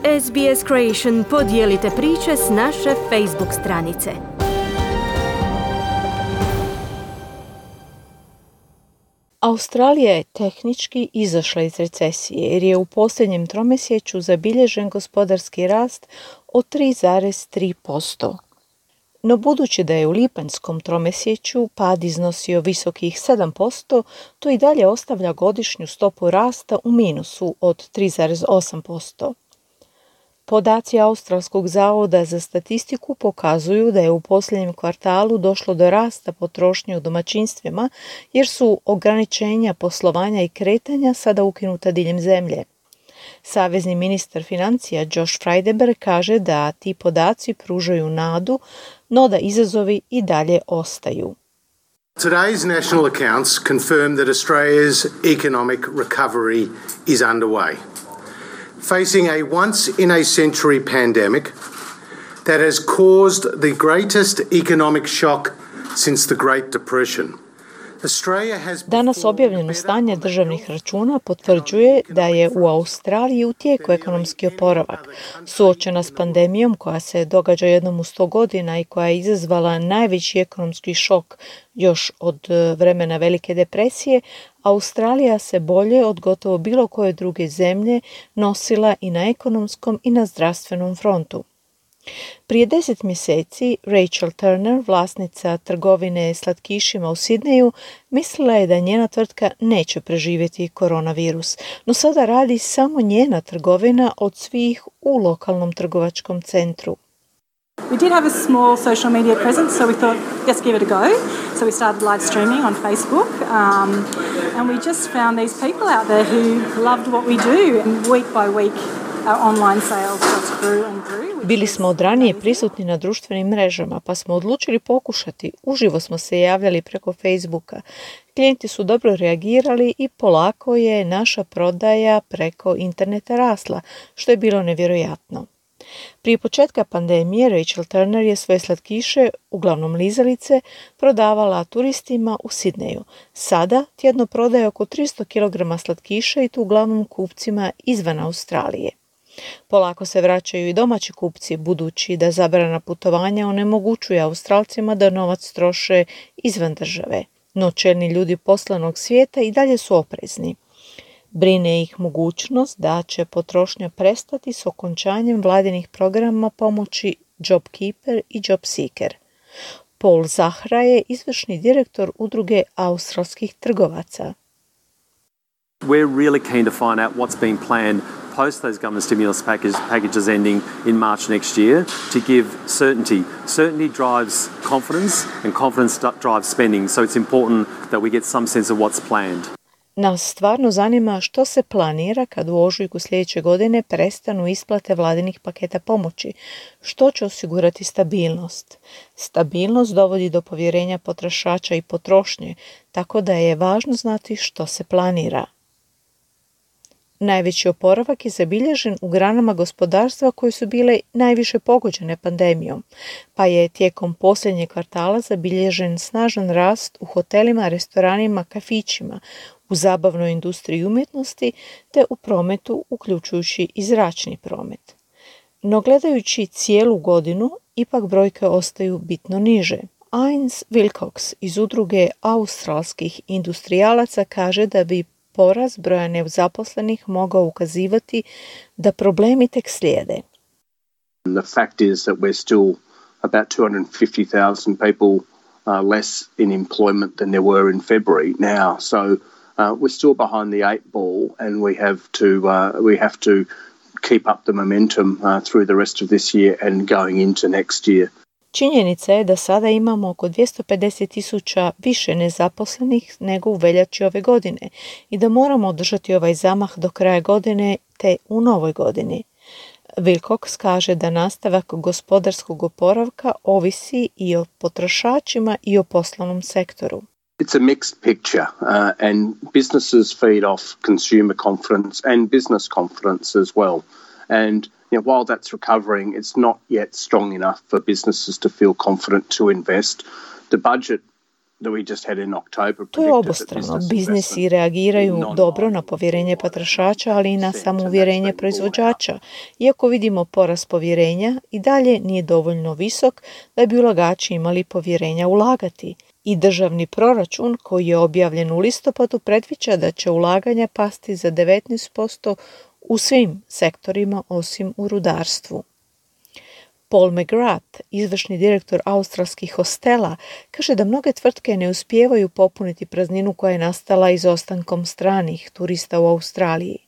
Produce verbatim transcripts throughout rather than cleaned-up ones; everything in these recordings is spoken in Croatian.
S B S Creation podijelite priče s naše Facebook stranice. Australija je tehnički izašla iz recesije jer je u posljednjem tromjesečju zabilježen gospodarski rast od tri zarez tri posto. No budući da je u lipanjskom tromjesečju pad iznosio visokih sedam posto, to i dalje ostavlja godišnju stopu rasta u minusu od tri zarez osam posto. Podaci Australskog zavoda za statistiku pokazuju da je u posljednjem kvartalu došlo do rasta potrošnje u domaćinstvima jer su ograničenja poslovanja i kretanja sada ukinuta diljem zemlje. Savezni ministar financija Josh Frydenberg kaže da ti podaci pružaju nadu, no da izazovi i dalje ostaju. Today's national accounts confirm that Australia's economic recovery is underway. Facing a once-in-a-century pandemic that has caused the greatest economic shock since the Great Depression. Danas objavljeno stanje državnih računa potvrđuje da je u Australiji u tijeku ekonomski oporavak. Suočena s pandemijom koja se događa jednom u sto godina i koja je izazvala najveći ekonomski šok još od vremena Velike depresije, Australija se bolje od gotovo bilo koje druge zemlje nosila i na ekonomskom i na zdravstvenom frontu. Prije deset mjeseci Rachel Turner, vlasnica trgovine slatkišima u Sidneju, mislila je da njena tvrtka neće preživjeti koronavirus, no sada radi samo njena trgovina od svih u lokalnom trgovačkom centru. We did have a small social media presence, so we thought, let's give it a go. So we started live streaming on Facebook, um, and we just found these people out there who loved what we do, and week by week our online sales just grew and grew. Bili smo od ranije prisutni na društvenim mrežama, pa smo odlučili pokušati. Uživo smo se javljali preko Facebooka. Klijenti su dobro reagirali i polako je naša prodaja preko interneta rasla, što je bilo nevjerojatno. Prije početka pandemije Rachel Turner je svoje slatkiše, uglavnom lizalice, prodavala turistima u Sidneju. Sada tjedno prodaje oko tristo kilograma slatkiša i to uglavnom kupcima izvan Australije. Polako se vraćaju i domaći kupci, budući da zabrana putovanja onemogućuje Australcima da novac troše izvan države. No čelni ljudi poslovnog svijeta i dalje su oprezni. Brine ih mogućnost da će potrošnja prestati s okončanjem vladinih programa pomoći JobKeeper i JobSeeker. Paul Zahra je izvršni direktor udruge australskih trgovaca. We're really keen to find out what's being planned post those government stimulus package, packages ending in March next year to give certainty. Certainty drives confidence and confidence drives spending, so it's important that we get some sense of what's planned. Nas stvarno zanima što se planira kad u ožujku sljedeće godine prestanu isplate vladinih paketa pomoći, što će osigurati stabilnost. Stabilnost dovodi do povjerenja potrošača i potrošnje, tako da je važno znati što se planira. Najveći oporavak je zabilježen u granama gospodarstva koje su bile najviše pogođene pandemijom, pa je tijekom posljednjeg kvartala zabilježen snažan rast u hotelima, restoranima, kafićima, u zabavnoj industriji umjetnosti te u prometu, uključujući i zračni promet. No gledajući cijelu godinu, ipak brojke ostaju bitno niže. Ines Wilcox iz udruge australskih industrijalaca kaže da bi porast broja nezaposlenih mogao ukazivati da problemi tek slijede. The fact is that we're still about two hundred fifty thousand people uh, less in employment than there were in February now. So uh, we're still behind the eight ball, and we have to uh, we have to keep up the momentum uh, through the rest of this year and going into next year. Činjenica je da sada imamo oko dvjesto pedeset tisuća više nezaposlenih nego u veljači ove godine i da moramo održati ovaj zamah do kraja godine te u novoj godini. Wilcox kaže da nastavak gospodarskog oporavka ovisi i o potrošačima i o poslovnom sektoru. It's a mixed picture uh, and businesses feed off consumer confidence and business confidence as well. And you know, while that's recovering, it's not yet strong enough for businesses to feel confident to invest. The budget that we just had in October. To je obostrano. Biznisi reagiraju dobro na povjerenje potrošača, ali i na samouvjerenje proizvođača. Iako vidimo porast povjerenja, i dalje nije dovoljno visok da bi ulagači imali povjerenja ulagati. I državni proračun koji je objavljen u listopadu predviđa da će ulaganja pasti za devetnaest posto u svim sektorima osim u rudarstvu. Paul McGrath, izvršni direktor australskih hostela, kaže da mnoge tvrtke ne uspijevaju popuniti prazninu koja je nastala izostankom stranih turista u Australiji.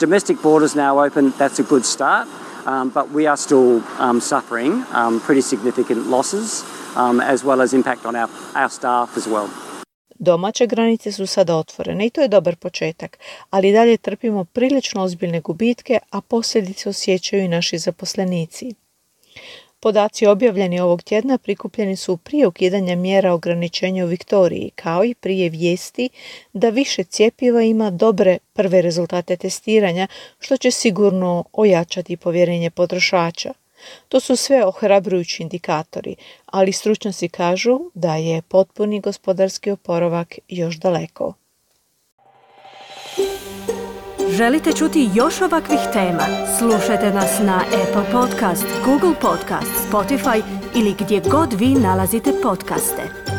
Domestic borders now open, that's a good start, um, but we are still um, suffering um, pretty significant losses, um, as well as impact on our, our staff as well. Domaće granice su sada otvorene i to je dobar početak, ali dalje trpimo prilično ozbiljne gubitke, a posljedice osjećaju i naši zaposlenici. Podaci objavljeni ovog tjedna prikupljeni su prije ukidanja mjera ograničenja u Viktoriji, kao i prije vijesti da više cjepiva ima dobre prve rezultate testiranja, što će sigurno ojačati povjerenje potrošača. To su sve ohrabrujući indikatori, ali stručnjaci kažu da je potpuni gospodarski oporavak još daleko. Želite čuti još ovakvih tema? Slušajte nas na Apple Podcast, Google Podcast, Spotify ili gdje god vi nalazite podcaste.